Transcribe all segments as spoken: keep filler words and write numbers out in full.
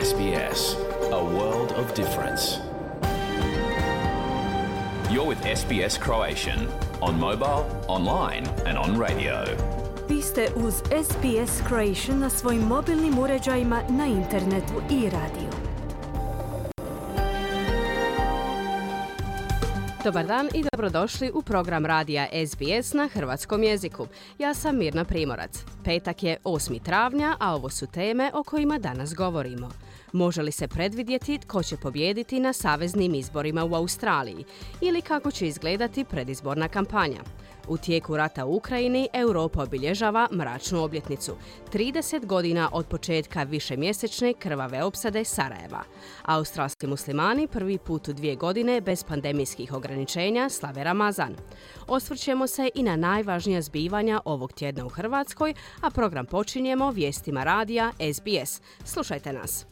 S B S, a world of difference. You're with S B S Croatian on mobile, online and on radio. Vi ste uz S B S Croatian na svojim mobilnim uređajima, na internetu i radiju. Dobar dan i dobrodošli u program radija S B S na hrvatskom jeziku. Ja sam Mirna Primorac. Petak je osmi travnja, a ovo su teme o kojima danas govorimo. Može li se predvidjeti tko će pobijediti na saveznim izborima u Australiji ili kako će izgledati predizborna kampanja? U tijeku rata u Ukrajini Europa obilježava mračnu obljetnicu, trideset godina od početka višemjesečne krvave opsade Sarajeva. Australski muslimani prvi put u dvije godine bez pandemijskih ograničenja slave Ramazan. Osvrćemo se i na najvažnija zbivanja ovog tjedna u Hrvatskoj, a program počinjemo vijestima radija S B S. Slušajte nas.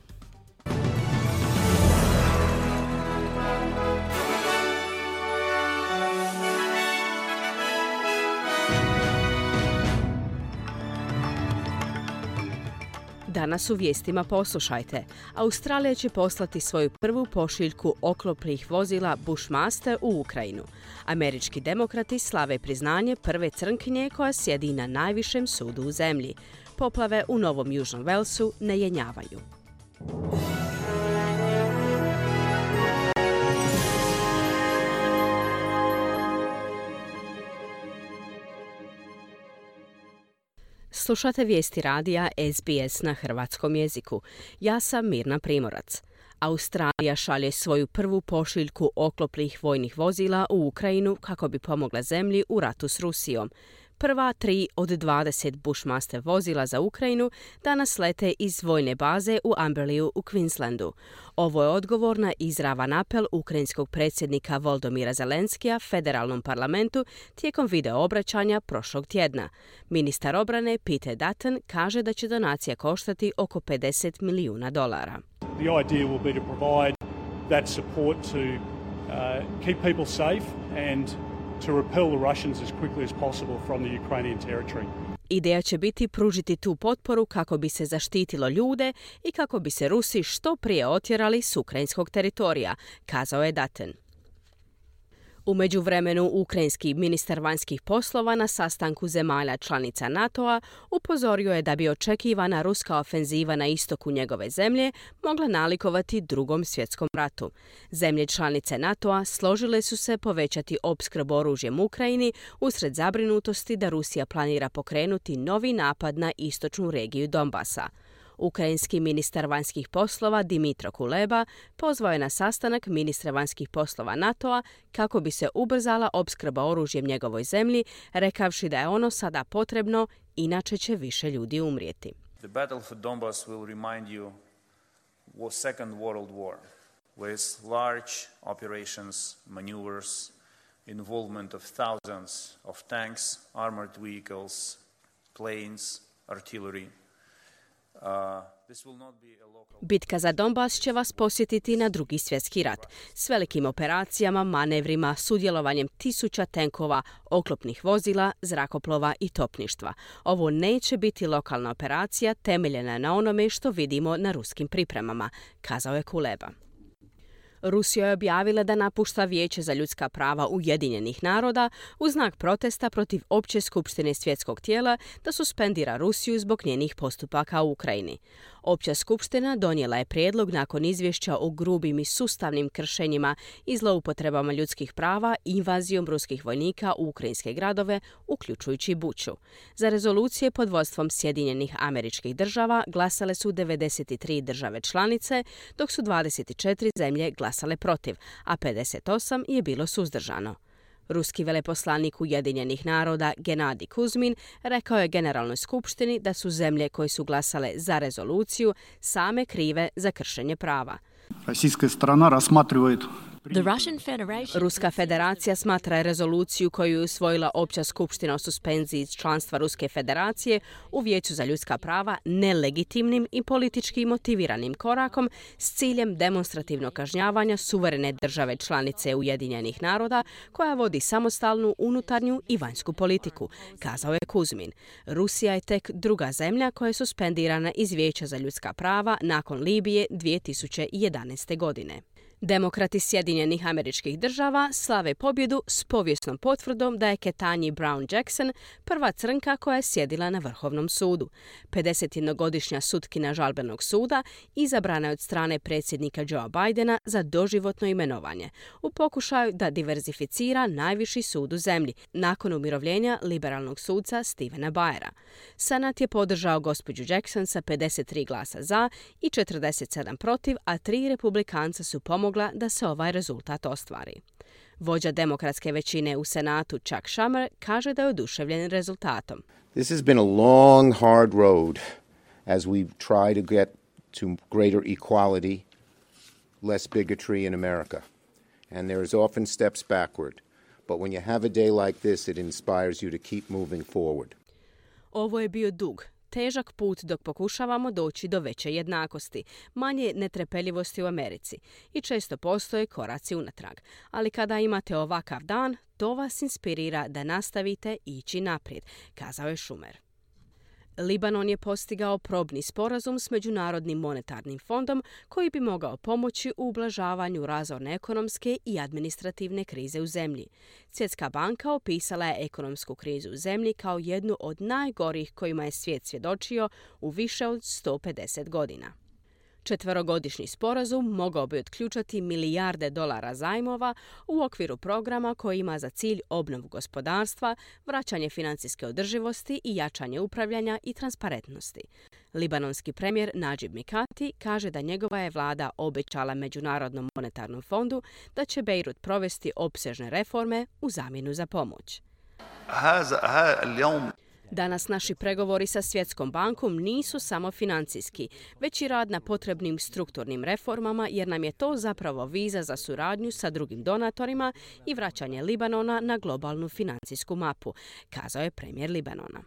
Danas u vijestima poslušajte. Australija će poslati svoju prvu pošiljku oklopnih vozila Bushmaster u Ukrajinu. Američki demokrati slave priznanje prve crnkinje koja sjedi na najvišem sudu u zemlji. Poplave u Novom Južnom Walesu ne jenjavaju. Slušate vijesti radija S B S na hrvatskom jeziku. Ja sam Mirna Primorac. Australija šalje svoju prvu pošiljku oklopnih vojnih vozila u Ukrajinu kako bi pomogla zemlji u ratu s Rusijom. Prva tri od dvadeset Bushmaster vozila za Ukrajinu danas lete iz vojne baze u Amberleyu u Queenslandu. Ovo je odgovor na izravan apel ukrajinskog predsjednika Volodymyra Zelenskija federalnom parlamentu tijekom video obraćanja prošlog tjedna. Ministar obrane Peter Dutton kaže da će donacija koštati oko pedeset milijuna dolara. The idea will be to provide that support to uh, keep people safe and to repel the Russians as quickly as possible from the Ukrainian territory. Ideja će biti pružiti tu potporu kako bi se zaštitilo ljude i kako bi se Rusi što prije otjerali s ukrajinskog teritorija, kazao je Dutton. U međuvremenu, ukrajinski ministar vanjskih poslova na sastanku zemalja članica NATO-a upozorio je da bi očekivana ruska ofenziva na istoku njegove zemlje mogla nalikovati Drugom svjetskom ratu. Zemlje članice NATO-a složile su se povećati opskrbu oružjem Ukrajini usred zabrinutosti da Rusija planira pokrenuti novi napad na istočnu regiju Donbasa. Ukrajinski ministar vanjskih poslova Dmytro Kuleba pozvao je na sastanak ministra vanjskih poslova NATO-a kako bi se ubrzala opskrba oružjem njegovoj zemlji, rekavši da je ono sada potrebno, inače će više ljudi umrijeti. The battle for Donbas will remind you was Second World War, with large operations, maneuvers, involvement of thousands of tanks, armored vehicles, planes, artillery. Bitka za Donbas će vas posjetiti na Drugi svjetski rat, s velikim operacijama, manevrima, sudjelovanjem tisuća tenkova, oklopnih vozila, zrakoplova i topništva. Ovo neće biti lokalna operacija temeljena na onome što vidimo na ruskim pripremama, kazao je Kuleba. Rusija je objavila da napušta Vijeće za ljudska prava Ujedinjenih naroda u znak protesta protiv Opće skupštine svjetskog tijela da suspendira Rusiju zbog njenih postupaka u Ukrajini. Opća skupština donijela je prijedlog nakon izvješća o grubim i sustavnim kršenjima i zloupotrebama ljudskih prava i invazijom ruskih vojnika u ukrajinske gradove, uključujući Buču. Za rezolucije pod vodstvom Sjedinjenih Američkih Država glasale su devedeset tri države članice, dok su dvadeset četiri zemlje glasale protiv, a pedeset osam je bilo suzdržano. Ruski veleposlanik Ujedinjenih naroda Genadij Kuzmin rekao je Generalnoj skupštini da su zemlje koje su glasale za rezoluciju same krive za kršenje prava. Российская сторона рассматривает The Russian Federation... Ruska federacija smatra rezoluciju koju je usvojila Opća skupština o suspenziji članstva Ruske federacije u Vijeću za ljudska prava nelegitimnim i politički motiviranim korakom s ciljem demonstrativnog kažnjavanja suverene države članice Ujedinjenih naroda koja vodi samostalnu unutarnju i vanjsku politiku, kazao je Kuzmin. Rusija je tek druga zemlja koja je suspendirana iz Vijeća za ljudska prava nakon Libije dvije tisuće jedanaeste. godine. Demokrati Sjedinjenih Američkih Država slave pobjedu s povijesnom potvrdom da je Ketanji Brown Jackson prva crnka koja je sjedila na Vrhovnom sudu. pedesetjednogodišnja sutkinja žalbenog suda izabrana je od strane predsjednika Joea Bidena za doživotno imenovanje u pokušaju da diverzificira najviši sud u zemlji nakon umirovljenja liberalnog suca Stephena Breyera. Senat je podržao gospođu Jackson sa pedeset tri glasa za i četrdeset sedam protiv, a tri republikanca su pomogli da se ovaj rezultat ostvari. Vođa demokratske većine u Senatu Chuck Schumer kaže da je oduševljen rezultatom. This has been a long, hard road as we try to get to greater equality, less bigotry in America. And there is often steps backward. But when you have a day like this, it inspires you to keep moving forward. Ovo je bio dug, težak put dok pokušavamo doći do veće jednakosti, manje netrpeljivosti u Americi i često postoje koraci unatrag. Ali kada imate ovakav dan, to vas inspirira da nastavite ići naprijed, kazao je Schumer. Libanon je postigao probni sporazum s Međunarodnim monetarnim fondom koji bi mogao pomoći u ublažavanju razorne ekonomske i administrativne krize u zemlji. Svjetska banka opisala je ekonomsku krizu u zemlji kao jednu od najgorih kojima je svijet svjedočio u više od sto pedeset godina. Četverogodišnji sporazum mogao bi otključati milijarde dolara zajmova u okviru programa koji ima za cilj obnovu gospodarstva, vraćanje financijske održivosti i jačanje upravljanja i transparentnosti. Libanonski premijer Najib Mikati kaže da njegova je vlada obećala Međunarodnom monetarnom fondu da će Bejrut provesti opsežne reforme u zamjenu za pomoć. Danas naši pregovori sa Svjetskom bankom nisu samo financijski, već i rad na potrebnim strukturnim reformama jer nam je to zapravo viza za suradnju sa drugim donatorima i vraćanje Libanona na globalnu financijsku mapu, kazao je premijer Libanona.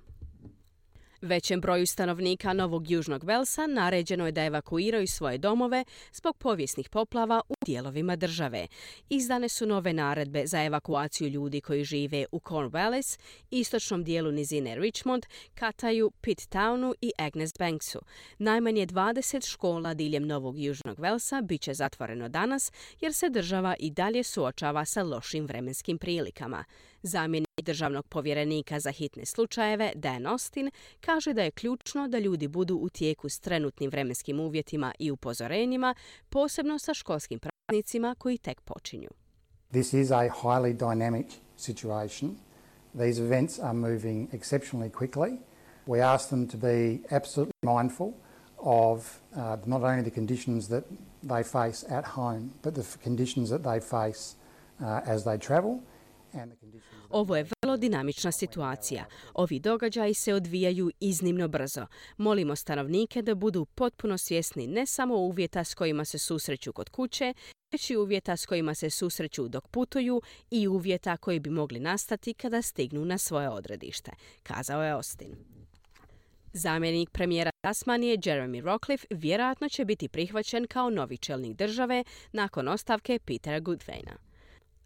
Većem broju stanovnika Novog Južnog Velsa naređeno je da evakuiraju svoje domove zbog povijesnih poplava u dijelovima države. Izdane su nove naredbe za evakuaciju ljudi koji žive u Cornwallis, istočnom dijelu nizine Richmond, Kataju, Pittownu i Agnes Banksu. Najmanje dvadeset škola diljem Novog Južnog Velsa bit će zatvoreno danas jer se država i dalje suočava sa lošim vremenskim prilikama. Zamjenik državnog povjerenika za hitne slučajeve, Dan Austin, kaže da je ključno da ljudi budu u tijeku s trenutnim vremenskim uvjetima i upozorenjima, posebno sa školskim praznicima koji tek počinju. This is a highly dynamic situation. These events are moving exceptionally quickly. We ask them to be absolutely mindful of uh, not only the conditions that they face at home, but the conditions that they face uh, as they travel. Ovo je vrlo dinamična situacija. Ovi događaji se odvijaju iznimno brzo. Molimo stanovnike da budu potpuno svjesni ne samo uvjeta s kojima se susreću kod kuće, već i uvjeta s kojima se susreću dok putuju i uvjeta koji bi mogli nastati kada stignu na svoje odredište, kazao je Austin. Zamjenik premijera Tasmanije Jeremy Rockliff vjerojatno će biti prihvaćen kao novi čelnik države nakon ostavke Petera Goodwina.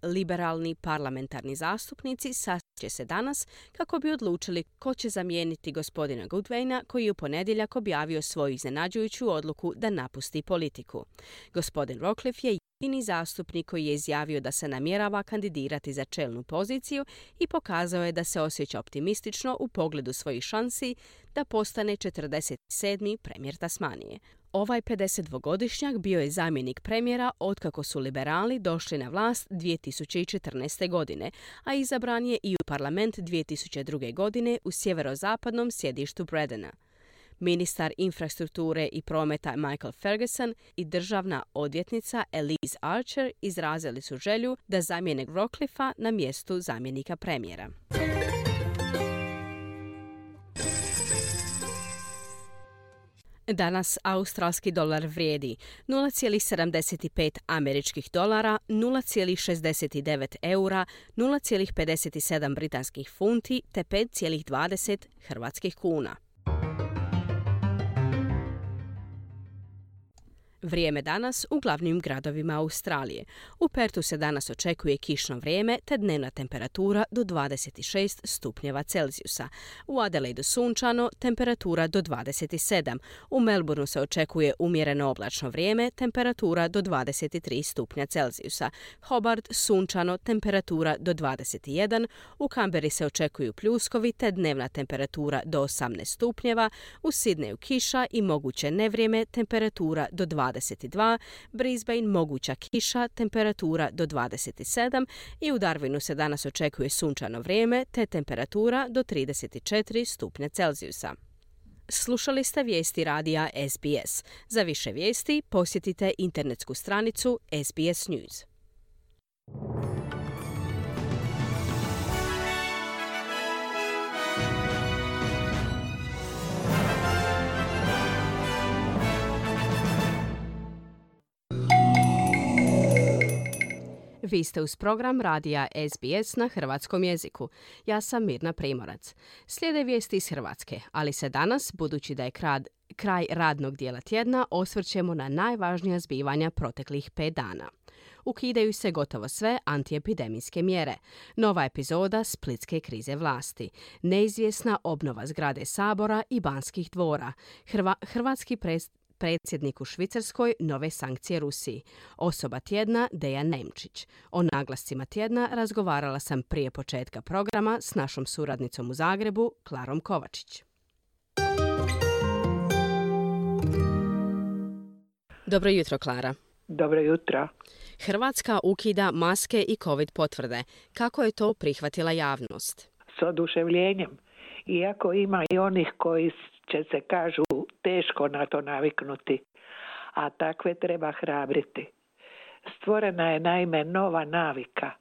Liberalni parlamentarni zastupnici sastaće se danas kako bi odlučili ko će zamijeniti gospodina Goodwina koji je u ponedjeljak objavio svoju iznenađujuću odluku da napusti politiku. Gospodin Rockliff je jedini zastupnik koji je izjavio da se namjerava kandidirati za čelnu poziciju i pokazao je da se osjeća optimistično u pogledu svojih šansi da postane četrdeset sedmi premijer Tasmanije. Ovaj pedesetdvogodišnjak bio je zamjenik premijera otkako su liberali došli na vlast dvije tisuće četrnaeste. godine, a izabran je i u parlament dvije tisuće druge. godine u sjeverozapadnom sjedištu Bredena. Ministar infrastrukture i prometa Michael Ferguson i državna odvjetnica Elise Archer izrazili su želju da zamijene Rockliffa na mjestu zamjenika premijera. Danas australski dolar vrijedi nula zarez sedamdeset pet američkih dolara, nula zarez šezdeset devet eura, nula zarez pedeset sedam britanskih funti te pet zarez dvadeset hrvatskih kuna. Vrijeme danas u glavnim gradovima Australije. U Pertu se danas očekuje kišno vrijeme te dnevna temperatura do dvadeset šest stupnjeva Celzijusa. U Adelaidu sunčano, temperatura do dvadeset sedam. U Melbourneu se očekuje umjereno oblačno vrijeme, temperatura do dvadeset tri stupnja Celzijusa. Hobart sunčano, temperatura do dvadeset jedan. U Canberri se očekuju pljuskovi te dnevna temperatura do osamnaest stupnjeva. U Sydneyu kiša i moguće nevrijeme, temperatura do dvadeset dva, Brisbane moguća kiša, temperatura do dvadeset sedam i u Darwinu se danas očekuje sunčano vrijeme te temperatura do trideset četiri stupnja Celzijusa. Slušali ste vijesti radija S B S. Za više vijesti posjetite internetsku stranicu S B S News. Vi ste uz program radija S B S na hrvatskom jeziku. Ja sam Mirna Primorac. Slijede vijesti iz Hrvatske, ali se danas, budući da je kraj, kraj radnog dijela tjedna, osvrćemo na najvažnija zbivanja proteklih pet dana. Ukidaju se gotovo sve antiepidemijske mjere. Nova epizoda splitske krize vlasti. Neizvjesna obnova zgrade Sabora i Banskih dvora. Hrva, hrvatski pres, predsjednik u Švicarskoj, nove sankcije Rusiji. Osoba tjedna Dejan Nemčić. O naglascima tjedna razgovarala sam prije početka programa s našom suradnicom u Zagrebu, Klarom Kovačić. Dobro jutro, Klara. Dobro jutro. Hrvatska ukida maske i COVID potvrde. Kako je to prihvatila javnost? S oduševljenjem. Iako ima i onih koji će se, kažu, teško na to naviknuti, a takve treba hrabriti. Stvorena je naime nova navika.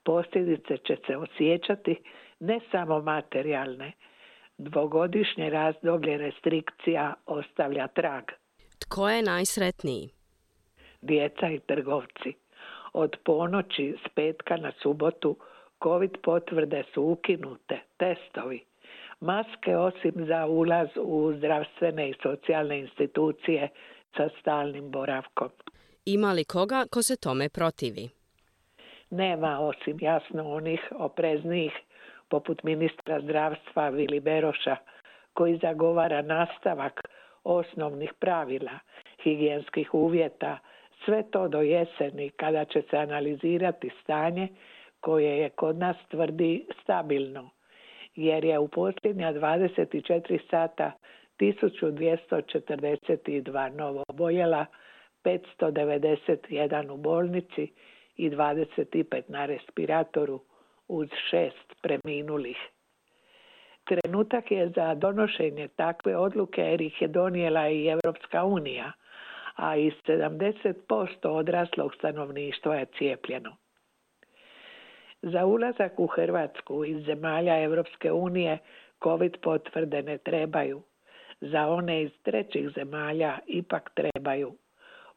Posljedice će se osjećati ne samo materijalne. Dvogodišnje razdoblje restrikcija ostavlja trag. Tko je najsretniji? Djeca i trgovci. Od ponoći s petka na subotu COVID potvrde su ukinute, testovi. Maske osim za ulaz u zdravstvene i socijalne institucije sa stalnim boravkom. Ima li koga ko se tome protivi? Nema, osim jasno onih opreznijih poput ministra zdravstva Vili Beroša, koji zagovara nastavak osnovnih pravila, higijenskih uvjeta, sve to do jeseni kada će se analizirati stanje koje je kod nas, tvrdi, stabilno, jer je u posljednja dvadeset četiri sata tisuću dvjesto četrdeset dva novo oboljela, petsto devedeset jedan u bolnici i dvadeset pet na respiratoru uz šest preminulih. Trenutak je za donošenje takve odluke jer ih je donijela i Europska unija, a i sedamdeset posto odraslog stanovništva je cijepljeno. Za ulazak u Hrvatsku iz zemalja Europske unije COVID potvrde ne trebaju. Za one iz trećih zemalja ipak trebaju.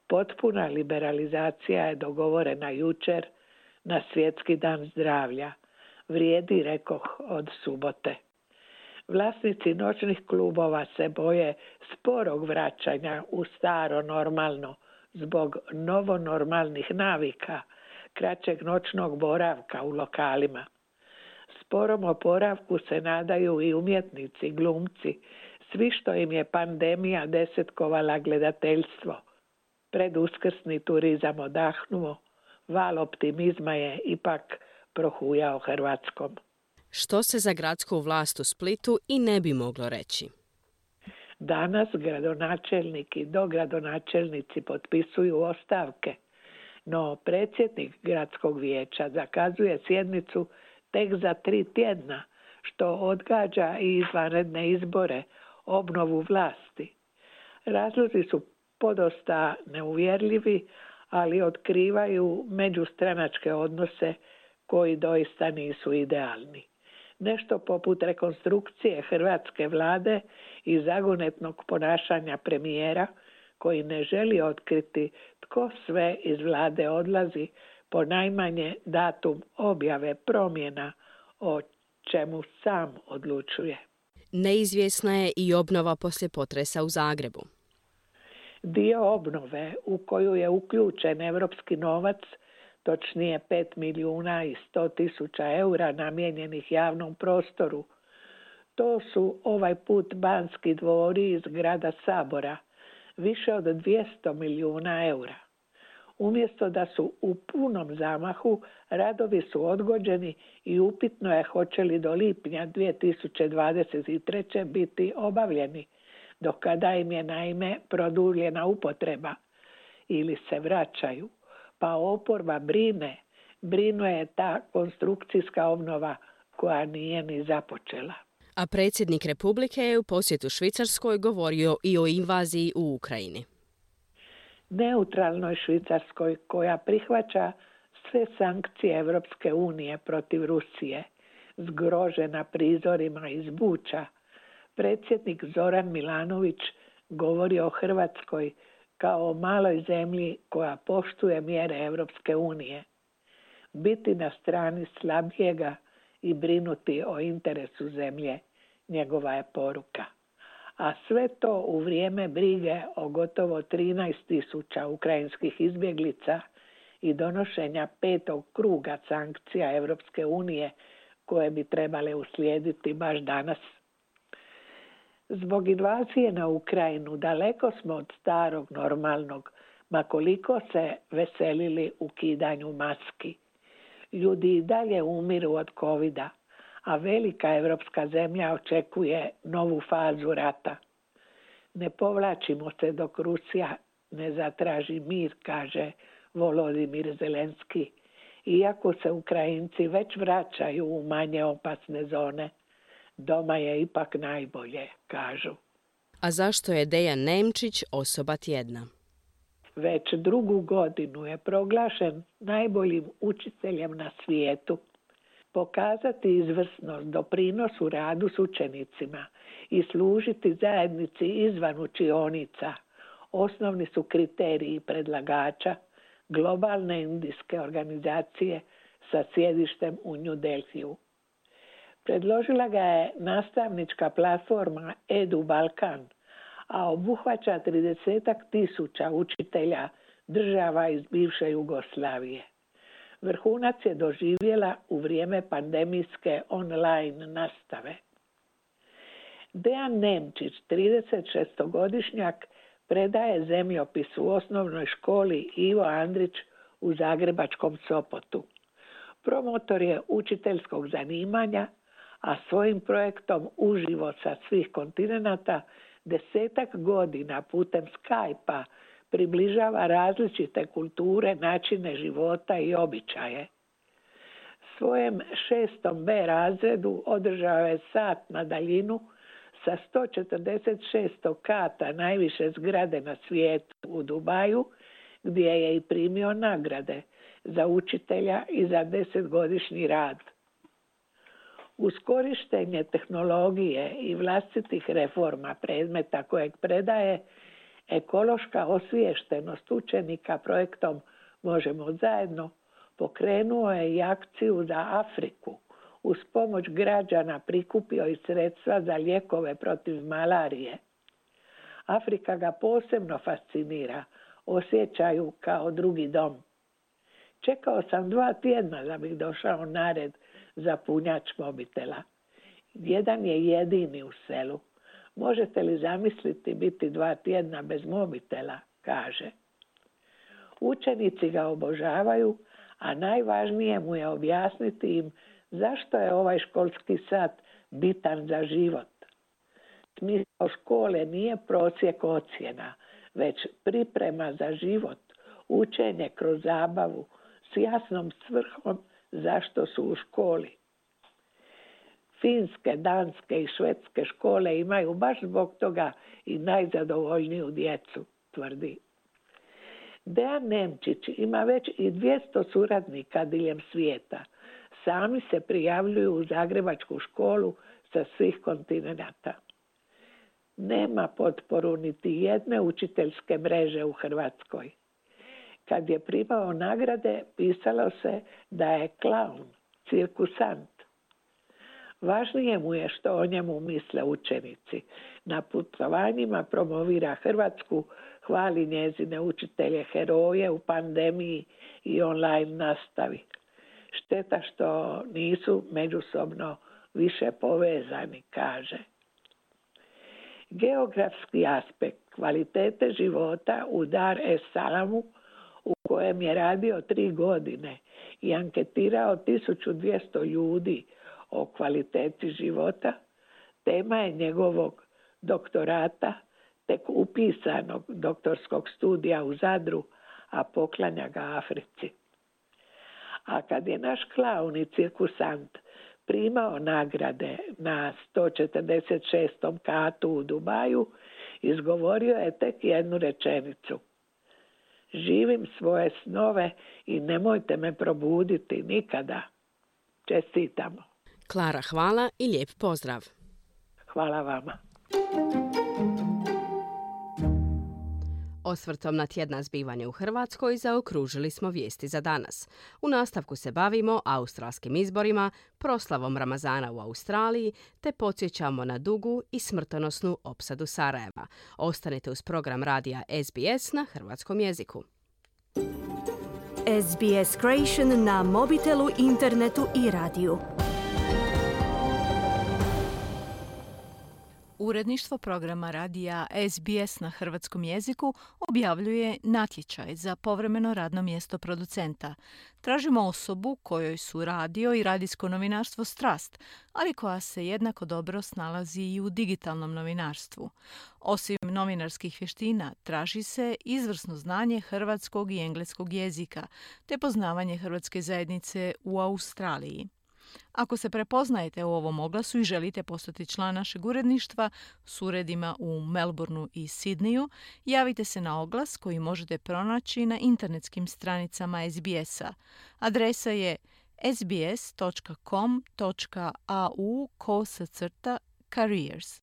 Potpuna liberalizacija je dogovorena jučer na Svjetski dan zdravlja. Vrijedi, rekoh, od subote. Vlasnici noćnih klubova se boje sporog vraćanja u staro normalno zbog novonormalnih navika, kraćeg noćnog boravka u lokalima. Sporom oporavku se nadaju i umjetnici, glumci, svi što im je pandemija desetkovala gledateljstvo. Preduskrsni turizam odahnuo, val optimizma je ipak prohujao Hrvatskom. Što se za gradsku vlast u Splitu i ne bi moglo reći? Danas gradonačelnik i dogradonačelnici potpisuju ostavke, no predsjednik gradskog vijeća zakazuje sjednicu tek za tri tjedna, što odgađa i izvanredne izbore, obnovu vlasti. Razlozi su podosta neuvjerljivi, ali otkrivaju međustranačke odnose koji doista nisu idealni. Nešto poput rekonstrukcije hrvatske vlade i zagonetnog ponašanja premijera koji ne želi otkriti tko sve iz vlade odlazi po najmanje datum objave promjena o čemu sam odlučuje. Neizvjesna je i obnova poslije potresa u Zagrebu. Dio obnove u koju je uključen europski novac, točnije pet milijuna i sto tisuća eura namijenjenih javnom prostoru, to su ovaj put Banski dvori iz grada Sabora, više od dvjesto milijuna eura. Umjesto da su u punom zamahu, radovi su odgođeni i upitno je hoće li do lipnja dvije tisuće dvadeset treće biti obavljeni, do kada im je naime produljena upotreba ili se vraćaju, pa oporba brine, brinuje ta konstrukcijska obnova koja nije ni započela. A predsjednik Republike je u posjetu Švicarskoj govorio i o invaziji u Ukrajini. Neutralnoj Švicarskoj koja prihvaća sve sankcije Europske unije protiv Rusije, zgrožena prizorima iz Buča, predsjednik Zoran Milanović govori o Hrvatskoj kao o maloj zemlji koja poštuje mjere Europske unije. Biti na strani slabijega i brinuti o interesu zemlje, njegova je poruka. A sve to u vrijeme brige o gotovo trinaest tisuća ukrajinskih izbjeglica i donošenja petog kruga sankcija Europske unije koje bi trebale uslijediti baš danas. Zbog invazije na Ukrajinu daleko smo od starog normalnog, ma koliko se veselili ukidanju maski. Ljudi i dalje umiru od covida, a velika evropska zemlja očekuje novu fazu rata. Ne povlačimo se dok Rusija ne zatraži mir, kaže Volodimir Zelenski, iako se Ukrajinci već vraćaju u manje opasne zone. Doma je ipak najbolje, kažu. A zašto je Dejan Nemčić osoba tjedna? Već drugu godinu je proglašen najboljim učiteljem na svijetu. Pokazati izvrsnost, doprinos u radu s učenicima i služiti zajednici izvan učionica osnovni su kriteriji predlagača globalne indijske organizacije sa sjedištem u New Delhiju. Predložila ga je nastavnička platforma Edu Balkan, a obuhvaća tridesetak tisuća učitelja država iz bivše Jugoslavije. Vrhunac je doživjela u vrijeme pandemijske online nastave. Dejan Nemčić, tridesetšestogodišnjak, predaje zemljopis u osnovnoj školi Ivo Andrić u zagrebačkom Sopotu. Promotor je učiteljskog zanimanja, a svojim projektom uživo sa svih kontinenata desetak godina putem Skype-a približava različite kulture, načine života i običaje. Svojem šestom B razredu održao je sat na daljinu sa sto četrdeset šest kata najviše zgrade na svijetu u Dubaju, gdje je i primio nagrade za učitelja i za desetgodišnji rad. Uz korištenje tehnologije i vlastitih reforma predmeta kojeg predaje, ekološka osviještenost učenika projektom Možemo zajedno pokrenuo je i akciju za Afriku. Uz pomoć građana prikupio i sredstva za lijekove protiv malarije. Afrika ga posebno fascinira, osjećaju kao drugi dom. Čekao sam dva tjedna da bih došao na red za punjač mobitela. Jedan je jedini u selu. Možete li zamisliti biti dva tjedna bez mobitela, kaže. Učenici ga obožavaju, a najvažnije mu je objasniti im zašto je ovaj školski sat bitan za život. Smisao škole nije prosjek ocjena, već priprema za život, učenje kroz zabavu s jasnom svrhom zašto su u školi. Finske, danske i švedske škole imaju baš zbog toga i najzadovoljniju djecu, tvrdi. Dejan Nemčić ima već i dvjesto suradnika diljem svijeta. sami se prijavljuju u Zagrebačku školu sa svih kontinenata. Nema potporu niti jedne učiteljske mreže u Hrvatskoj. Kad je primao nagrade, pisalo se da je klaun, cirkusant. Važnije mu je što o njemu misle učenici. Na putovanjima promovira Hrvatsku, hvali njezine učitelje heroje u pandemiji i online nastavi. Šteta što nisu međusobno više povezani, kaže. Geografski aspekt kvalitete života u Dar es Salamu, u kojem je radio tri godine i anketirao tisuću dvjesto ljudi o kvaliteti života, tema je njegovog doktorata, tek upisanog doktorskog studija u Zadru, a poklanja ga Africi. A kad je naš klaun i cirkusant primao nagrade na sto četrdeset šestom katu u Dubaju, izgovorio je tek jednu rečenicu. Živim svoje snove i nemojte me probuditi nikada. Čestitamo. Klara, hvala i lijep pozdrav. Hvala vama. Osvrtom na tjedna zbivanja u Hrvatskoj zaokružili smo vijesti za danas. U nastavku se bavimo australskim izborima, proslavom Ramazana u Australiji, te podsjećamo na dugu i smrtonosnu opsadu Sarajeva. Ostanite uz program radija S B S na hrvatskom jeziku. S B S Creation na mobitelu, internetu i radiju. Uredništvo programa radija S B S na hrvatskom jeziku objavljuje natječaj za povremeno radno mjesto producenta. Tražimo osobu kojoj su radio i radijsko novinarstvo strast, ali koja se jednako dobro snalazi i u digitalnom novinarstvu. Osim novinarskih vještina, traži se izvrsno znanje hrvatskog i engleskog jezika, te poznavanje hrvatske zajednice u Australiji. Ako se prepoznajete u ovom oglasu i želite postati član našeg uredništva s uredima u Melbourneu i Sidneju, javite se na oglas koji možete pronaći na internetskim stranicama S B S-a. Adresa je sbs.com.au kosacrta careers.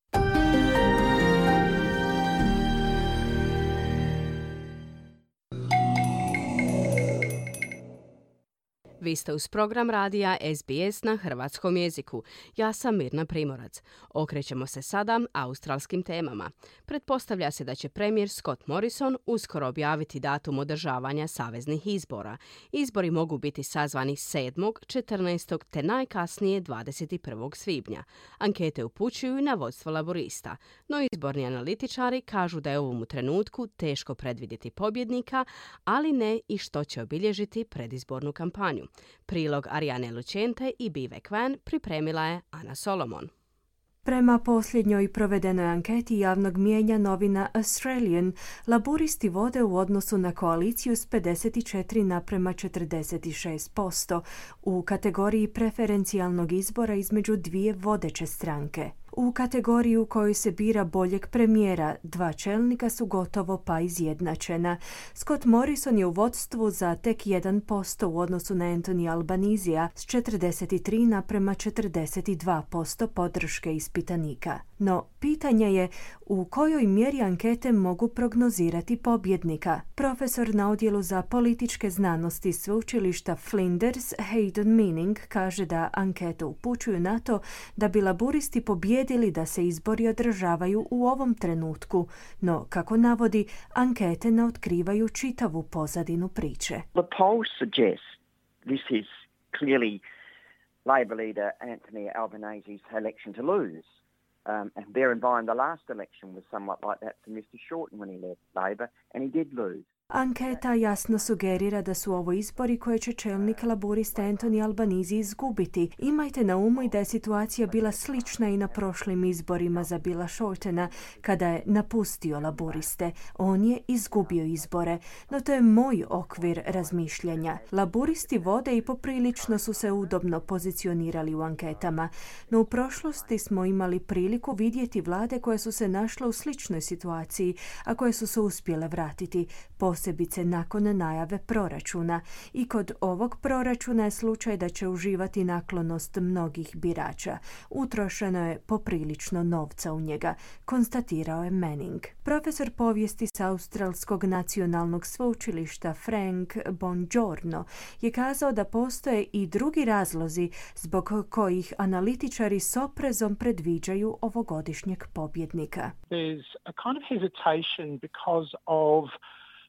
Vi ste uz program radija S B S na hrvatskom jeziku. Ja sam Mirna Primorac. Okrećemo se sada australskim temama. Pretpostavlja se da će premijer Scott Morrison uskoro objaviti datum održavanja saveznih izbora. Izbori mogu biti sazvani sedmog, četrnaestog te najkasnije dvadeset prvog svibnja. Ankete upućuju na vodstvo laborista, no izborni analitičari kažu da je u ovom trenutku teško predvidjeti pobjednika, ali ne i što će obilježiti predizbornu kampanju. Prilog Arijane Lucente i Bivek Van pripremila je Ana Solomon. Prema posljednjoj provedenoj anketi javnog mijenja novina Australian, laburisti vode u odnosu na koaliciju s pedeset četiri naprema četrdeset šest posto u kategoriji preferencijalnog izbora između dvije vodeće stranke. U kategoriji u kojoj se bira boljeg premijera, dva čelnika su gotovo pa izjednačena. Scott Morrison je u vodstvu za tek jedan posto u odnosu na Anthony Albanizea s četrdeset tri naprema četrdeset dva posto podrške ispitanika. No, pitanje je u kojoj mjeri ankete mogu prognozirati pobjednika. Profesor na odjelu za političke znanosti sveučilišta Flinders, Hayden Meaning, kaže da ankete upućuju na to da bi laburisti pobjedili da se izbori održavaju u ovom trenutku, no, kako navodi, ankete ne otkrivaju čitavu pozadinu priče. The polls suggest this is clearly Labor leader Anthony Albanese's election to lose. Um, and bear in mind the last election was somewhat like that for mister Shorten when he led Labor, and he did lose. Anketa jasno sugerira da su ovo izbori koje će čelnik laborista Anthony Albanese izgubiti. Imajte na umu i da je situacija bila slična i na prošlim izborima za Billa Shortena, kada je napustio laboriste. On je izgubio izbore, no to je moj okvir razmišljanja. Laboristi vode i poprilično su se udobno pozicionirali u anketama, no u prošlosti smo imali priliku vidjeti vlade koje su se našle u sličnoj situaciji, a koje su se uspjele vratiti. posebice nakon najave proračuna. I kod ovog proračuna je slučaj da će uživati naklonost mnogih birača. Utrošeno je poprilično novca u njega, konstatirao je Manning. Profesor povijesti s Australskog nacionalnog sveučilišta Frank Bongiorno je kazao da postoje i drugi razlozi zbog kojih analitičari s oprezom predviđaju ovogodišnjeg pobjednika. There's a kind of hesitation because of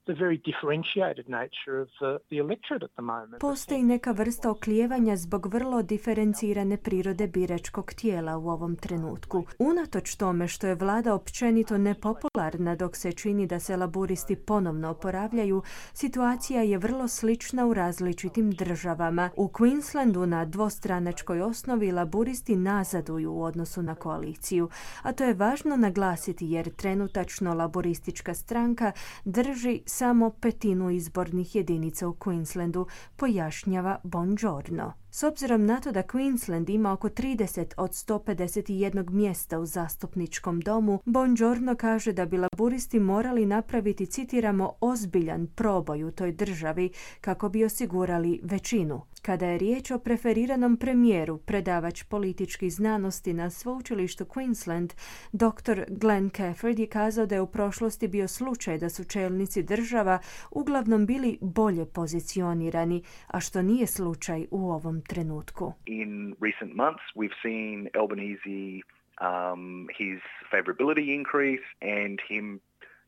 the very differentiated nature of the, the electorate at the moment. Postoji neka vrsta oklijevanja zbog vrlo diferencirane prirode biračkog tijela u ovom trenutku. Unatoč tome što je vlada općenito nepopularna dok se čini da se laburisti ponovno oporavljaju, situacija je vrlo slična u različitim državama. U Queenslandu na dvostranačkoj osnovi laburisti nazaduju u odnosu na koaliciju, a to je važno naglasiti jer trenutačno laboristička stranka drži samo petinu izbornih jedinica u Queenslandu, pojašnjava Bongiorno. S obzirom na to da Queensland ima oko trideset od sto pedeset jedan mjesta u zastupničkom domu, Bongiorno kaže da bi laburisti morali napraviti, citiramo, ozbiljan proboj u toj državi kako bi osigurali većinu. Kada je riječ o preferiranom premijeru, predavač političkih znanosti na sveučilištu Queensland, doktor Glenn Cafford je kazao da je u prošlosti bio slučaj da su čelnici država uglavnom bili bolje pozicionirani, a što nije slučaj u ovom trenutku. In recent months we've seen Albanese um, his favorability increase and him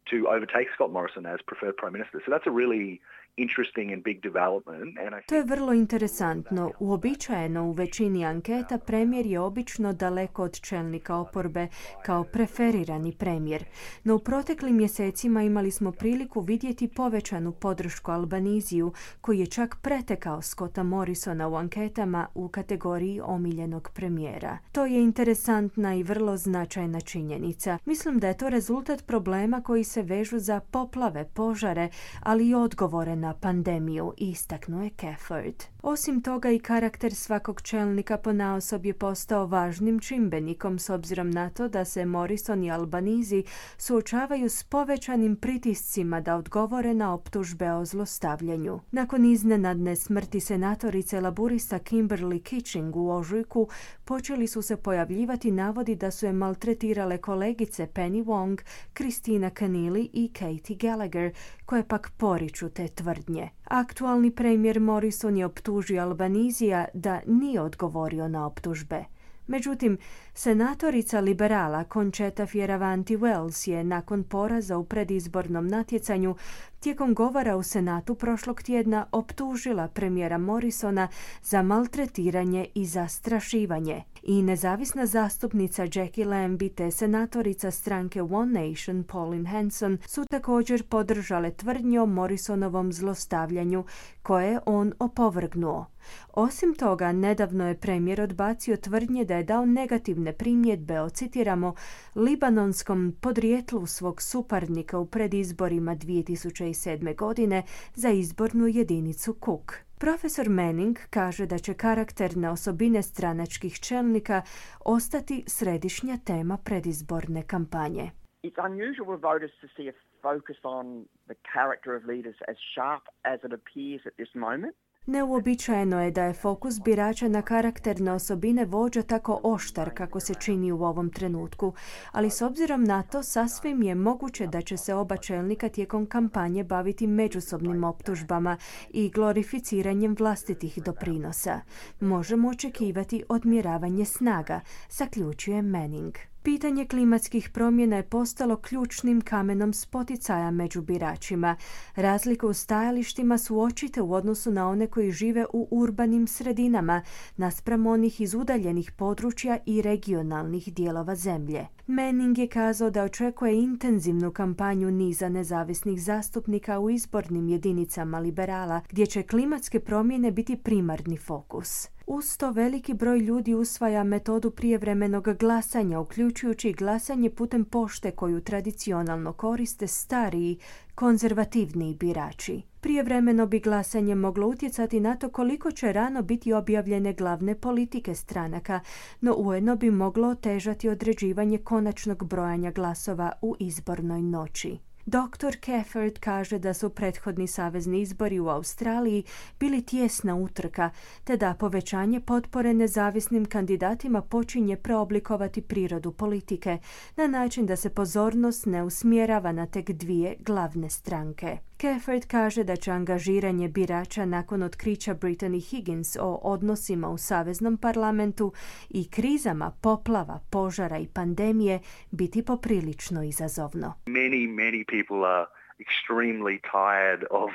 to overtake Scott Morrison as preferred prime minister. So that's a really interesting and big development. And I to je vrlo interesantno. Uobičajeno u većini anketa premijer je obično daleko od čelnika oporbe kao preferirani premijer. No u proteklim mjesecima imali smo priliku vidjeti povećanu podršku Albaniziju, koji je čak pretekao Scotta Morrisona u anketama u kategoriji omiljenog premijera. To je interesantna i vrlo značajna činjenica. Mislim da je to rezultat problema koji se vežu za poplave, požare, ali i odgovore na pandemiju, istaknuo je Cafford. Osim toga i karakter svakog čelnika ponaosob je postao važnim čimbenikom s obzirom na to da se Morrison i Albanese suočavaju s povećanim pritiscima da odgovore na optužbe o zlostavljanju. Nakon iznenadne smrti senatorice laburista Kimberly Kitching u ožujku počeli su se pojavljivati navodi da su je maltretirale kolegice Penny Wong, Christina Keneally i Katie Gallagher, koje pak poriču te tvrdnje. Aktualni premijer Morrison je optužio Albanizija da nije odgovorio na optužbe. Međutim, senatorica liberala Concetta Fierravanti-Wells je nakon poraza u predizbornom natjecanju tijekom govora u Senatu prošlog tjedna optužila premijera Morrisona za maltretiranje i zastrašivanje. I nezavisna zastupnica Jackie Lambie te senatorica stranke One Nation Pauline Hanson su također podržale tvrdnje o Morrisonovom zlostavljanju koje je on opovrgnuo. Osim toga, nedavno je premijer odbacio tvrdnje da je dao negativne primjedbe o, citiramo, libanonskom podrijetlu svog suparnika u predizborima dvije tisuće sedme. godine za izbornu jedinicu Cook. Profesor Manning kaže da će karakterne osobine stranačkih čelnika ostati središnja tema predizborne kampanje. It's unusual for voters to see a focus on the character of leaders as sharp as it appears at this moment. Neuobičajeno je da je fokus birača na karakterne osobine vođa tako oštar kako se čini u ovom trenutku, ali s obzirom na to sasvim je moguće da će se oba čelnika tijekom kampanje baviti međusobnim optužbama i glorificiranjem vlastitih doprinosa. Možemo očekivati odmjeravanje snaga, zaključuje Manning. Pitanje klimatskih promjena je postalo ključnim kamenom spoticaja među biračima. Razlike u stajalištima su očite u odnosu na one koji žive u urbanim sredinama, naspram onih iz udaljenih područja i regionalnih dijelova zemlje. Manning je kazao da očekuje intenzivnu kampanju niza nezavisnih zastupnika u izbornim jedinicama liberala, gdje će klimatske promjene biti primarni fokus. Uz to veliki broj ljudi usvaja metodu prijevremenog glasanja, uključujući glasanje putem pošte koju tradicionalno koriste stariji, konzervativniji birači. Prijevremeno bi glasanje moglo utjecati na to koliko će rano biti objavljene glavne politike stranaka, no ujedno bi moglo otežati određivanje konačnog brojanja glasova u izbornoj noći. doktor Keffert kaže da su prethodni savezni izbori u Australiji bili tijesna utrka, te da povećanje potpore nezavisnim kandidatima počinje preoblikovati prirodu politike na način da se pozornost ne usmjerava na tek dvije glavne stranke. Keffert kaže da će angažiranje birača nakon otkrića Brittany Higgins o odnosima u saveznom parlamentu i krizama poplava, požara i pandemije biti poprilično izazovno. Many, many people are extremely tired of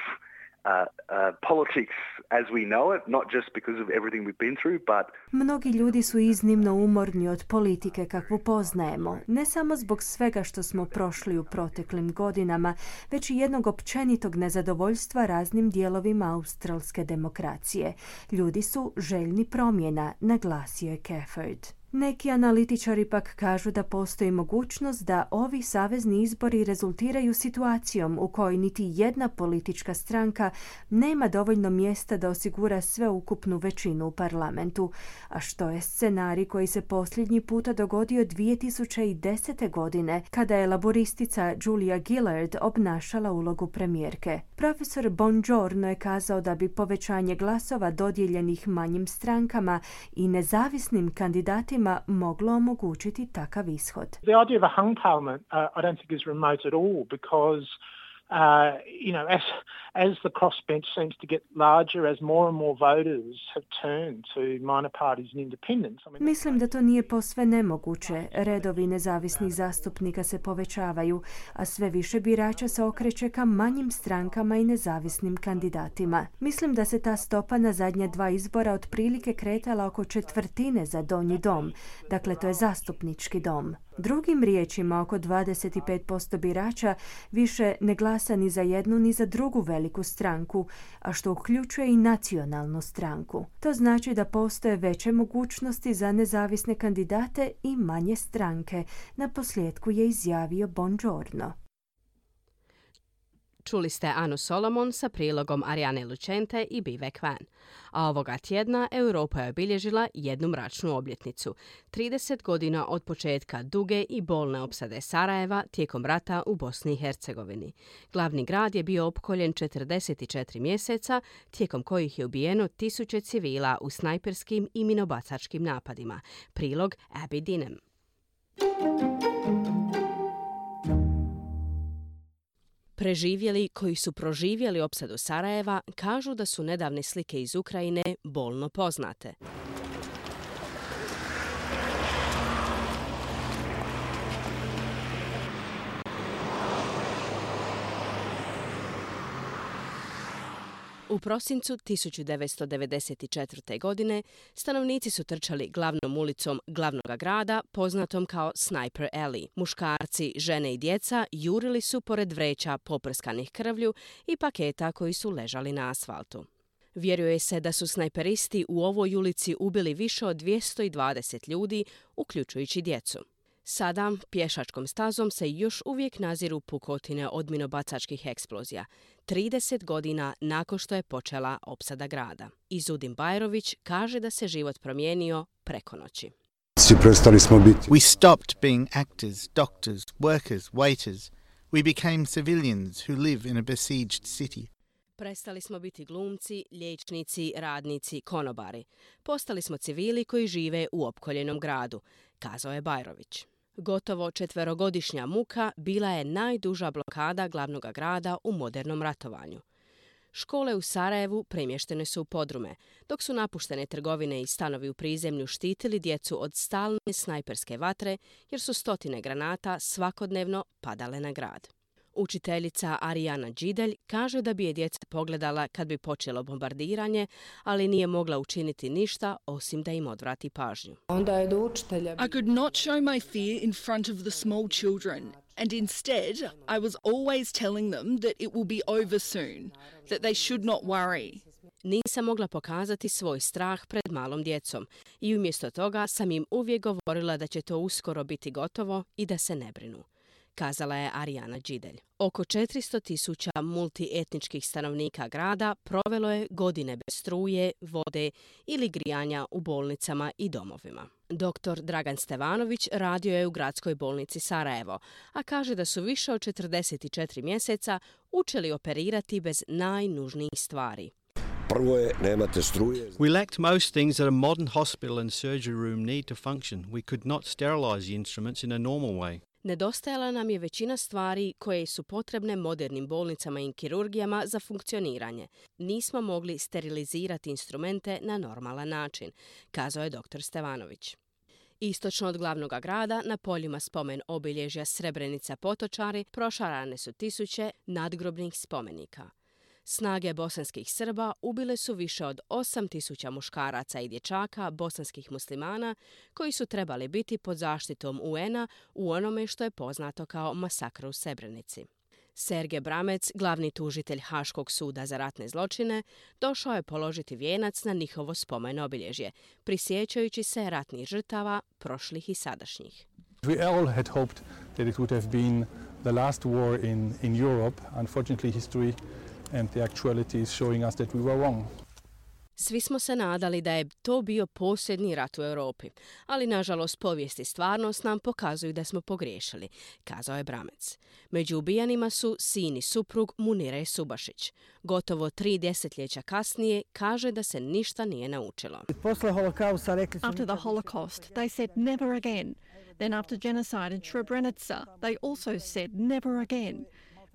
Uh, uh, politics as we know it, not just because of everything we've been through, but... Mnogi ljudi su iznimno umorni od politike kakvu poznajemo, ne samo zbog svega što smo prošli u proteklim godinama, već i jednog općenitog nezadovoljstva raznim dijelovima australske demokracije. Ljudi su željni promjena, naglasio je Keffert. Neki analitičari pak kažu da postoji mogućnost da ovi savezni izbori rezultiraju situacijom u kojoj niti jedna politička stranka nema dovoljno mjesta da osigura sveukupnu većinu u parlamentu, a što je scenarij koji se posljednji puta dogodio dvije tisuće desete. godine kada je laboristica Julia Gillard obnašala ulogu premijerke. Profesor Bongiorno je kazao da bi povećanje glasova dodijeljenih manjim strankama i nezavisnim kandidatima moglo omogućiti takav ishod. The idea of a hung parliament uh, I don't think is remote at all because Uh, you know, as as the crossbench seems to get larger, as more and more voters have turned to minor parties and independents. I mean, Mislim da to nije posve nemoguće. Redovi nezavisnih zastupnika se povećavaju, a sve više birača se okreće ka manjim strankama i nezavisnim kandidatima. Mislim da se ta stopa na zadnja dva izbora otprilike kretala oko četvrtine za donji dom. Dakle, to je zastupnički dom. Drugim riječima, oko dvadeset pet posto birača više ne glasa ni za jednu ni za drugu veliku stranku, a što uključuje i nacionalnu stranku. To znači da postoje veće mogućnosti za nezavisne kandidate i manje stranke, na posljedku je izjavio Bongiorno. Čuli ste Anu Solomon sa prilogom Ariane Lucente i Bivek Van. A ovoga tjedna Europa je obilježila jednu mračnu obljetnicu. trideset godina od početka duge i bolne opsade Sarajeva tijekom rata u Bosni i Hercegovini. Glavni grad je bio opkoljen četrdeset četiri mjeseca, tijekom kojih je ubijeno tisuće civila u snajperskim i minobacačkim napadima. Prilog Abby Dinem. Preživjeli koji su proživjeli opsadu Sarajeva kažu da su nedavne slike iz Ukrajine bolno poznate. U prosincu tisuću devetsto devedeset četvrte. godine stanovnici su trčali glavnom ulicom glavnog grada, poznatom kao Sniper Alley. Muškarci, žene i djeca jurili su pored vreća poprskanih krvlju i paketa koji su ležali na asfaltu. Vjeruje se da su snajperisti u ovoj ulici ubili više od dvjesto dvadeset ljudi, uključujući djecu. Sada pješačkom stazom se još uvijek naziru pukotine od minobacačkih eksplozija, trideset godina nakon što je počela opsada grada. Izudin Bajrović kaže da se život promijenio preko noći. We stopped being actors, doctors, workers, waiters. We became civilians who live in a besieged city. Prestali smo biti glumci, liječnici, radnici, konobari. Postali smo civili koji žive u opkoljenom gradu, kazao je Bajrović. Gotovo četverogodišnja muka bila je najduža blokada glavnog grada u modernom ratovanju. Škole u Sarajevu premještene su u podrume, dok su napuštene trgovine i stanovi u prizemlju štitili djecu od stalne snajperske vatre, jer su stotine granata svakodnevno padale na grad. Učiteljica Arijana Đidelj kaže da bi je djeca pogledala kad bi počelo bombardiranje, ali nije mogla učiniti ništa osim da im odvrati pažnju. Onda je do učitelja. I could not show my fear in front of the small children, and instead I was always telling them that it will be over soon, that they should not worry. Nisam mogla pokazati svoj strah pred malom djecom i umjesto toga sam im uvijek govorila da će to uskoro biti gotovo i da se ne brinu, kazala je Arijana Đidelj. Oko četiristo tisuća multietničkih stanovnika grada provelo je godine bez struje, vode ili grijanja u bolnicama i domovima. Doktor Dragan Stevanović radio je u gradskoj bolnici Sarajevo, a kaže da su više od četrdeset četiri mjeseca učili operirati bez najnužnijih stvari. Prvo je, nemate struje. We lacked most things that a modern hospital and surgery room need to function. We could not sterilize the instruments in a normal way. Nedostajala nam je većina stvari koje su potrebne modernim bolnicama i kirurgijama za funkcioniranje. Nismo mogli sterilizirati instrumente na normalan način, kazao je doktor Stevanović. Istočno od glavnog grada, na poljima spomen obilježja Srebrenica Potočari, prošarane su tisuće nadgrobnih spomenika. Snage bosanskih Srba ubile su više od osam tisuća muškaraca i dječaka bosanskih muslimana koji su trebali biti pod zaštitom U N-a u onome što je poznato kao masakr u Srebrenici. Sergej Bramec, glavni tužitelj Haškog suda za ratne zločine, došao je položiti vijenac na njihovo spomen obilježje, prisjećajući se ratnih žrtava, prošlih i sadašnjih. We all had hoped that it would have been the last war in, in Europe. Unfortunately, history and the actuality is showing us that we were wrong. Svi smo se nadali da je to bio posljednji rat u Europi, ali nažalost povijest i stvarnost nam pokazuju da smo pogriješili, kazao je Bramec. Među ubijanima su sin i suprug Munire Subašić. Gotovo tri desetljeća kasnije kaže da se ništa nije naučilo. After the Holocaust, they said never again. Then after genocide in Srebrenica, they also said never again.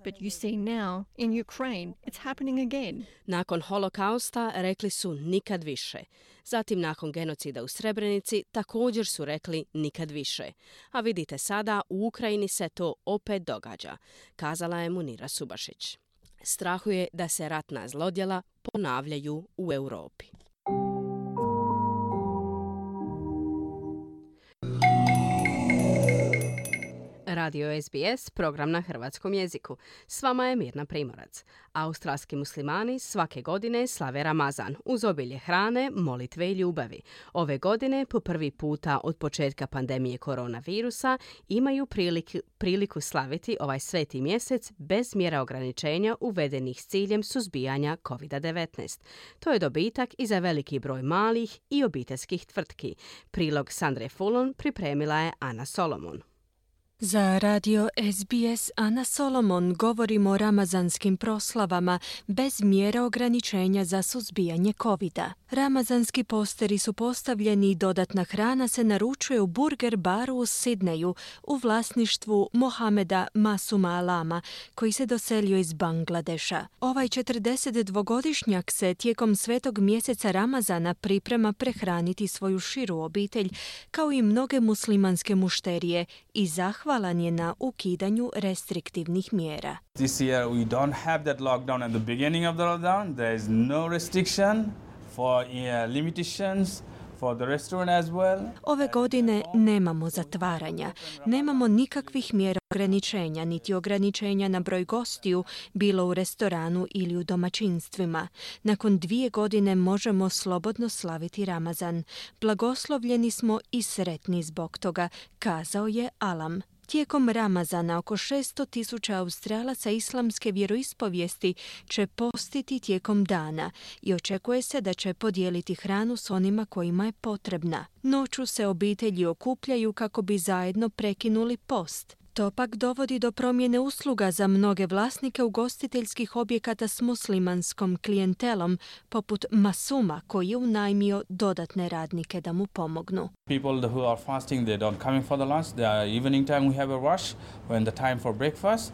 But you see now, in Ukraine, it's happening again. Nakon holokausta rekli su nikad više. Zatim nakon genocida u Srebrenici također su rekli nikad više. A vidite sada, u Ukrajini se to opet događa, kazala je Munira Subašić. Strahuje da se ratna zlodjela ponavljaju u Europi. Radio S B S, program na hrvatskom jeziku. S vama je Mirna Primorac. Australski muslimani svake godine slave Ramazan uz obilje hrane, molitve i ljubavi. Ove godine, po prvi puta od početka pandemije koronavirusa, imaju priliku, priliku slaviti ovaj sveti mjesec bez mjera ograničenja uvedenih s ciljem suzbijanja kovid devetnaest. To je dobitak i za veliki broj malih i obiteljskih tvrtki. Prilog Sandre Fulon pripremila je Ana Solomon. Za radio S B S Ana Solomon govorimo o ramazanskim proslavama bez mjera ograničenja za suzbijanje kovida. Ramazanski posteri su postavljeni i dodatna hrana se naručuje u Burger baru u Sidneju u vlasništvu Mohameda Masuma Alama, koji se doselio iz Bangladeša. Ovaj četrdesetdvogodišnjak se tijekom svetog mjeseca Ramazana priprema prehraniti svoju širu obitelj, kao i mnoge muslimanske mušterije, i zahvalan je na ukidanju restriktivnih mjera. This year we don't have that lockdown at the beginning of the lockdown. There is no restriction for uh, limitations for the restaurant as well. Ove godine nemamo zatvaranja, nemamo nikakvih mjera ograničenja, niti ograničenja na broj gostiju, bilo u restoranu ili u domaćinstvima. Nakon dvije godine možemo slobodno slaviti Ramazan. Blagoslovljeni smo i sretni zbog toga, kazao je Alam. Tijekom Ramazana oko šesto tisuća Australaca islamske vjeroispovijesti će postiti tijekom dana i očekuje se da će podijeliti hranu s onima kojima je potrebna. Noću se obitelji okupljaju kako bi zajedno prekinuli post. To pak dovodi do promjene usluga za mnoge vlasnike ugostiteljskih objekata s muslimanskom klijentelom, poput Masuma, koji je unajmio dodatne radnike da mu pomognu. People who are fasting, they don't come in for the lunch. The evening time we have a rush when the time for breakfast.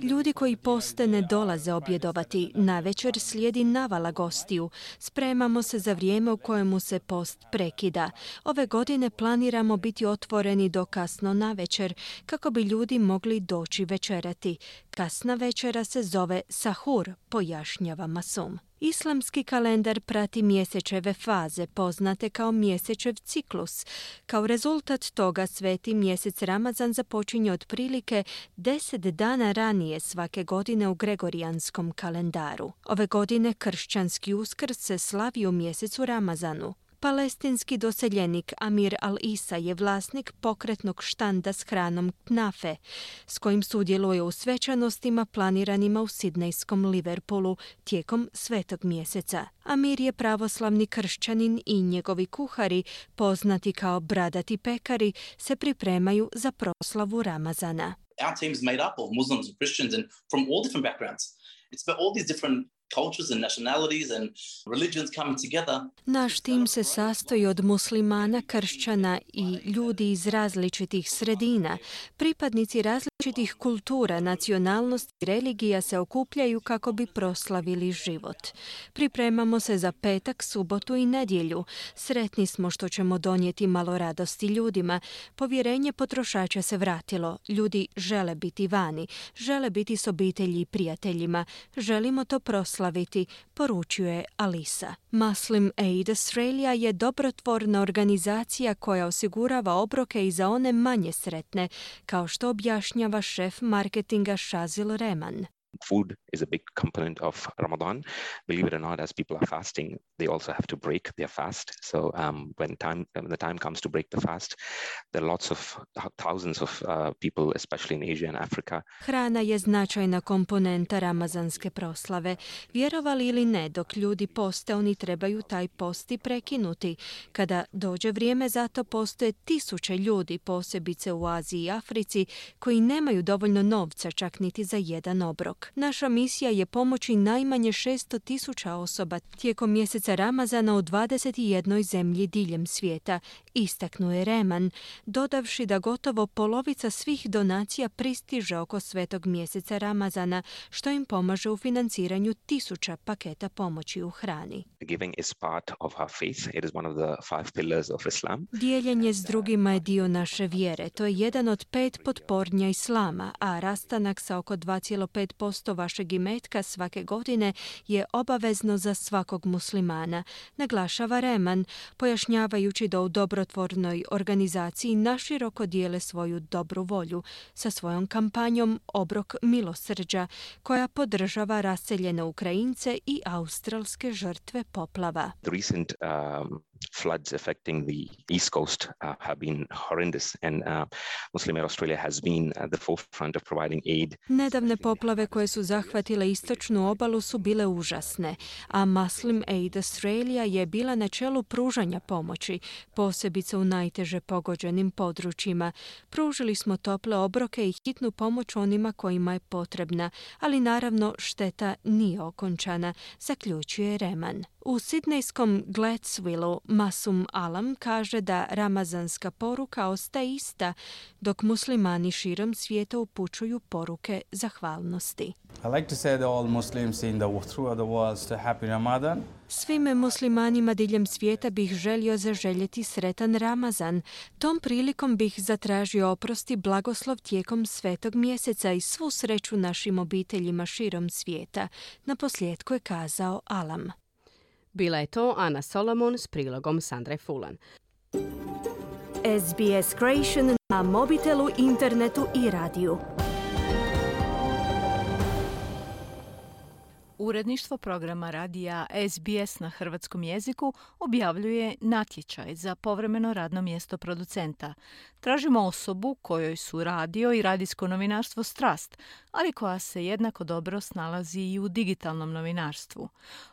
Ljudi koji poste ne dolaze objedovati. Navečer slijedi navala gostiju. Spremamo se za vrijeme u kojemu se post prekida. Ove godine planiramo biti otvoreni do kasno navečer, kako bi ljudi mogli doći večerati. Kasna večera se zove sahur, pojašnjava Masum. Islamski kalendar prati mjesečeve faze, poznate kao mjesečev ciklus. Kao rezultat toga sveti mjesec Ramazan započinje otprilike deset dana ranije svake godine u gregorijanskom kalendaru. Ove godine kršćanski Uskrs se slavi u mjesecu Ramazanu. Palestinski doseljenik Amir Al-Isa je vlasnik pokretnog štanda s hranom Knafe, s kojim sudjeluje u svečanostima planiranima u sidnejskom Liverpoolu tijekom svetog mjeseca. Amir je pravoslavni kršćanin i njegovi kuhari, poznati kao bradati pekari, se pripremaju za proslavu Ramazana. Our team is made up of Muslims and Christians and from all different backgrounds. It's about all these different cultures and nationalities and religions coming together. Naš tim se sastoji od muslimana, kršćana i ljudi iz različitih sredina. Pripadnici različitih kultura, nacionalnosti i religija se okupljaju kako bi proslavili život. Pripremamo se za petak, subotu i nedjelju. Sretni smo što ćemo donijeti malo radosti ljudima. Povjerenje potrošača se vratilo. Ljudi žele biti vani, žele biti s obitelji i prijateljima. Želimo to proslaviti, poručuje Alisa. Muslim Aid Australia je dobrotvorna organizacija koja osigurava obroke i za one manje sretne, kao što objašnjava šef marketinga Shazil Rehman. Food is a big component of Ramadan. Believe it or not, as people are fasting, they also have to break their fast. So um, when time when the time comes to break the fast, there are lots of thousands of uh, people, especially in Asia and Africa. Hrana je značajna komponenta ramazanske proslave. Vjerovali ili ne, dok ljudi poste, oni trebaju taj post i prekinuti. Kada dođe vrijeme za to, postoje tisuće ljudi, posebice u Aziji i Africi, koji nemaju dovoljno novca čak niti za jedan obrok. Naša misija je pomoći najmanje šesto tisuća osoba tijekom mjeseca Ramazana u dvadeset jednoj zemlji diljem svijeta, istaknuo je Rehman, dodavši da gotovo polovica svih donacija pristiže oko svetog mjeseca Ramazana, što im pomaže u financiranju tisuća paketa pomoći u hrani. Giving is part of our faith. It is one of the five pillars of Islam. Dijeljenje s drugima je dio naše vjere. To je jedan od pet potpornja Islama, a rastanak sa oko dva zarez pet posto vašeg imetka svake godine je obavezno za svakog muslimana, naglašava Rehman, pojašnjavajući da u dobrotvornoj organizaciji naširoko dijele svoju dobru volju sa svojom kampanjom Obrok milosrđa, koja podržava raseljene Ukrajince i australske žrtve poplava. The recent um, floods affecting the East Coast uh, have been horrendous, and uh, Muslim Aid Australia has been at the forefront of providing aid. Nedavne poplave koje su zahvatile istočnu obalu su bile užasne, a Muslim Aid Australia je bila na čelu pružanja pomoći, posebice u najteže pogođenim područjima. Pružili smo tople obroke i hitnu pomoć onima kojima je potrebna, ali naravno šteta nije okončana, zaključuje Rehman. U sidnejskom Gladswillu Masum Alam kaže da ramazanska poruka ostaje ista, dok muslimani širom svijeta upućuju poruke zahvalnosti. I like to say to all Muslims in the throughout the world to happy Ramadan. Svim muslimanima diljem svijeta bih želio zaželjeti sretan Ramazan. Tom prilikom bih zatražio oprost i blagoslov tijekom svetog mjeseca i svu sreću našim obiteljima širom svijeta. Naposljetku je kazao Alam. Bila je to Ana Solomon s prilogom Sandre Fulan. S B S Creation na mobitelu, internetu i radiju. Uredništvo programa radija S B S na hrvatskom jeziku objavljuje natječaj za povremeno radno mjesto producenta. Tražimo osobu kojoj su radio i radijsko novinarstvo strast, ali koja se jednako dobro snalazi i u digitalnom novinarstvu.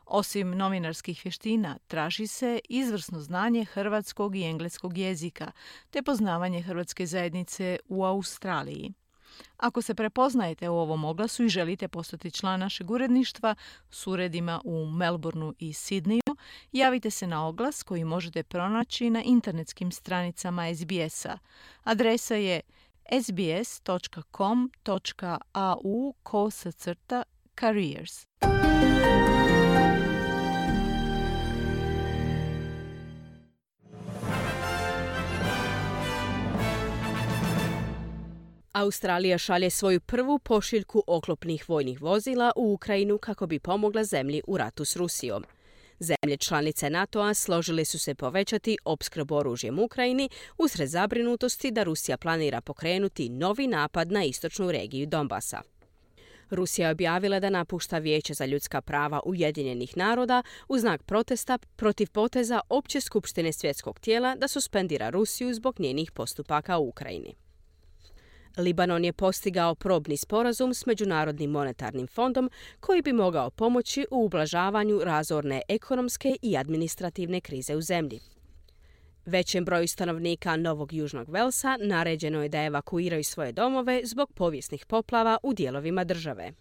Osim novinarskih vještina, traži se izvrsno znanje hrvatskog i engleskog jezika, te poznavanje hrvatske zajednice u Australiji. Ako se prepoznajete u ovom oglasu i želite postati član našeg uredništva s uredima u Melbourneu i Sidneju, javite se na oglas koji možete pronaći na internetskim stranicama S B S-a. Adresa je sbs.com.au kosacrta careers. Australija šalje svoju prvu pošiljku oklopnih vojnih vozila u Ukrajinu kako bi pomogla zemlji u ratu s Rusijom. Zemlje članice NATO-a složile su se povećati opskrbu oružjem Ukrajini usred zabrinutosti da Rusija planira pokrenuti novi napad na istočnu regiju Donbasa. Rusija je objavila da napušta Vijeće za ljudska prava Ujedinjenih naroda u znak protesta protiv poteza Opće skupštine svjetskog tijela da suspendira Rusiju zbog njenih postupaka u Ukrajini. Libanon je postigao probni sporazum s Međunarodnim monetarnim fondom koji bi mogao pomoći u ublažavanju razorne ekonomske i administrativne krize u zemlji. Većem broju stanovnika Novog Južnog Velsa naređeno je da evakuiraju svoje domove zbog povijesnih poplava u dijelovima države.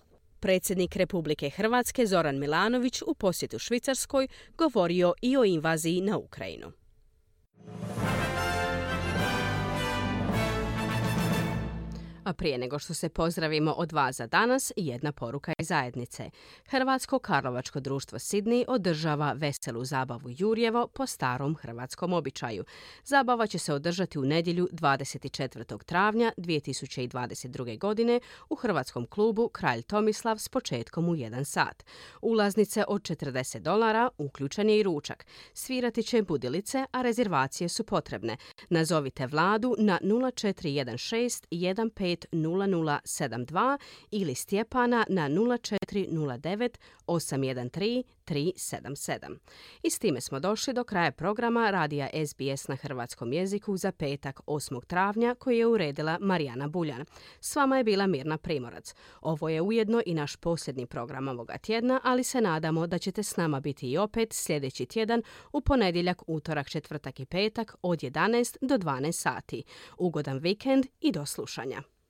Predsjednik Republike Hrvatske Zoran Milanović u posjetu Švicarskoj govorio i o invaziji na Ukrajinu. A prije nego što se pozdravimo od vas za danas, jedna poruka iz zajednice. Hrvatsko karlovačko društvo Sidney održava veselu zabavu Jurjevo po starom hrvatskom običaju. Zabava će se održati u nedjelju dvadeset četvrtog travnja dvije tisuće dvadeset druge. godine u hrvatskom klubu Kralj Tomislav s početkom u jedan sat. Ulaznice od četrdeset dolara, uključen je i ručak. Svirati će budilice, a rezervacije su potrebne. Nazovite Vladu na nula četiri jedan šest jedan pet nula nula sedam dva ili Stjepana na nula četiri nula devet osam jedan tri tri sedam sedam. I s time smo došli do kraja programa radija S B S na hrvatskom jeziku za petak osmog travnja koji je uredila Marijana Buljan. S vama je bila Mirna Primorac. Ovo je ujedno i naš posljednji program ovoga tjedna, ali se nadamo da ćete s nama biti i opet sljedeći tjedan u ponedjeljak, utorak, četvrtak i petak od jedanaest do dvanaest sati. Ugodan vikend i do slušanja.